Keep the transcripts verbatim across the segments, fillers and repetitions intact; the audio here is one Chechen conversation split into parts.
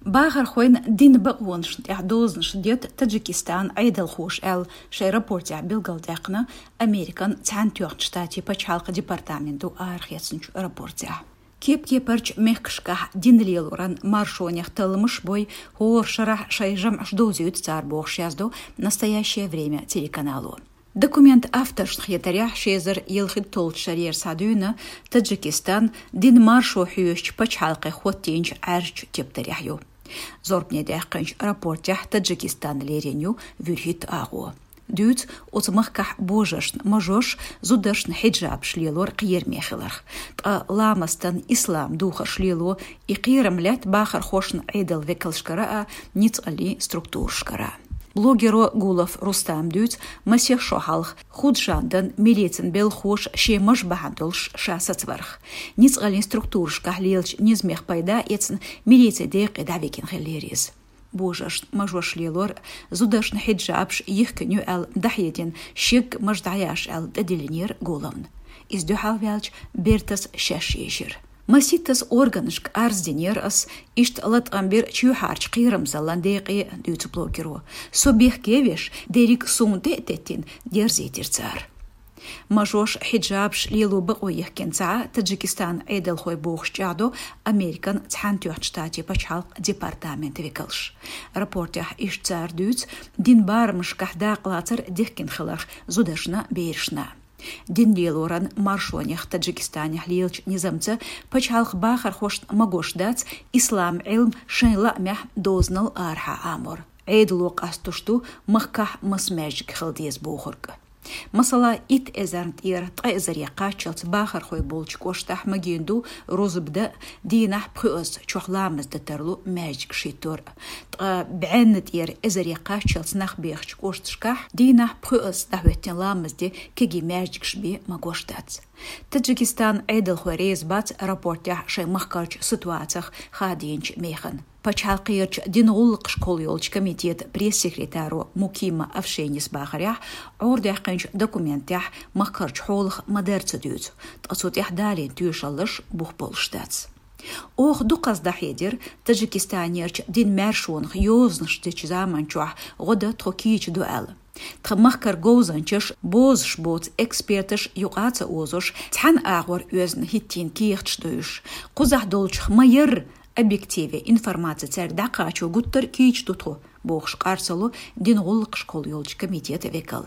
Бахархойн дина бакъонашна тӀехь дозанаш дет Таджикистан Ӏедалхоша аьлла шайн рапортехь билгалдаьккхина Американ Цхьаьнатоьхначу Штатийн пачхьалкхан департамента арахецначу рапортехь. Кеп-кепарчу мехкашкахь дин лелоран маршонех талламаш бой, хӀора шарахь шайн жамӀаш довзуьйту цара бохуш яздо «Настоящее время» телеканало. Документ авторшна хетарехь, ши эзар ялхитталгӀачу шарера схьадуьйна Таджикистан дин маршо хьоьжучу пачхьалкхех хӀоттийначу Ӏаьржачу тептарехь ю. Зорбане даьккхинчу рапортехь Таджикистан лерина ю вуьрхӀитта агӀо. Дуьйцу оцу махкахь божаршна мажош, зударшна хьиджабаш лелор кхераме хиларх. Ткъа ламастан ислам духарш лело и кхерам лаьтта бахархошна Ӏедал векалшкара а, ницкъаллин структурашкара а. Блогеро Гулов Рустама дуьйцу масех шо хьалха Худжандан милицин белхахоша шен маж бахьана долуш ша сацаварх. Ницкъаллин структурашкахь лелачу низамех пайда эцна милицин декъе дӀавигина хиллера иза. Божаршна мажош лелор, зударшна хьиджабаш йихкина ю аьлла дӀахьедина шегга маж дӀаяш аьлла тӀедиллинера Гуловна. Иза дуьхьалваьлча, бертас шаьш ешира. Маситтаза органашка арз динера ас, иштта латкъам бира чоьхьарчу кхерамзаллин декъе, дуьйцу блогеро. Со бехке веш, дерриг суна тӀе а теттина, дерзийтира цара. Мажош хьиджабаш лело бакъо йихкина ца Ӏа Таджикистан Ӏедалхой бохуш чӀагӀдо Американ Цхьаьнатоьхначу Штатийн пачхьалкхан департаментан векалш. Рапортехь иштта цара дуьйцу дин барамашкахь дакъалацар дихкина хиларх зударшна, берашна. Дин лелоран маршонех Таджикистанехь лелачу низамца пачхьалкхан бахархошна магош дац ислам Ӏилма шайн лаамехь дозанал арахьа Ӏамор. Ӏедало къастуш ду махкахь маса маьждиг хила деза бохург. Масала, итт эзарна тӀера ткъа эзаре кхаччалц бахархой болчу кӀоштахь магийна ду рузба дан, дийнахь пхоьазза чохь ламаз дан тарлу маьждигаш хӀиттор. Ткъа бӀенна тӀера эзаре кхаччалц нах бехачу кӀошташкахь дийнахь пхоьазза дӀахӀоьттина ламаз де кегий маьждигаш бен магош дац. Таджикистан Ӏедалхой реза бац рапортехь шайн махкарчу ситуацих хадийначу механа. Пачхьалкхерчу дин гӀуллакхаш кхолла йолчу комитетан пресс-секретаро Мукима Авшенис бахарехь, Ӏордаьккхинчу документехь махкарчу хьолах ма-дарра ца дуьйцу, ткъа цу тӀехь далийна тоьшаллаш бух болуш дац. Оха дукхазза дӀахьедира Таджикистанерчу дин маьршонах йозанаш дечу заманчохь гӀо дан тхо кийча ду аьлла. Тхан махкара говзанчаш, бозуш боцу эксперташ юкъа а ца озуш, цхьана агӀор оьзна хӀиттийна кехаташ ду уьш. Кхузахь долчух ма-ярра, объективе информаци цаьрга дӀакхачо гуттар а кийча ду тхо, бохуш къарсало дин гӀуллакхаш кхолла йолчу комитетан векал.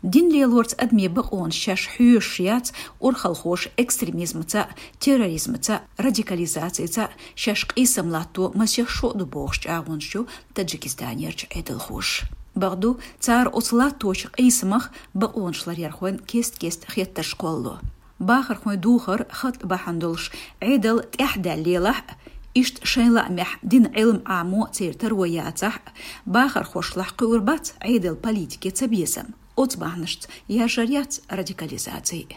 Дин лелорца адамийн бакъонаш шаьш хьоьшуш яц урхалхоша экстремизмаца, терроризмаца, радикализацица шаьш къийсам латто масех шо а ду бохуш чӀагӀонаш ю Таджикистанерчу Ӏедалхоша. Бакъду, цара оцу латточу къийсамах бакъонаш ларъярхойн кест-кеста хеттарш кхоллало. Бахархойн духар хатӀ бахьана долуш Ӏедал тӀаьхьадаьлла лелахь а, иштта шайн лаамехь дин Ӏилма Ӏамо церан таро яцахь а, бахархошлахь кхуьур бац Ӏедал политике цабезам. Оцу бахьанашца яржар яц радикализаци.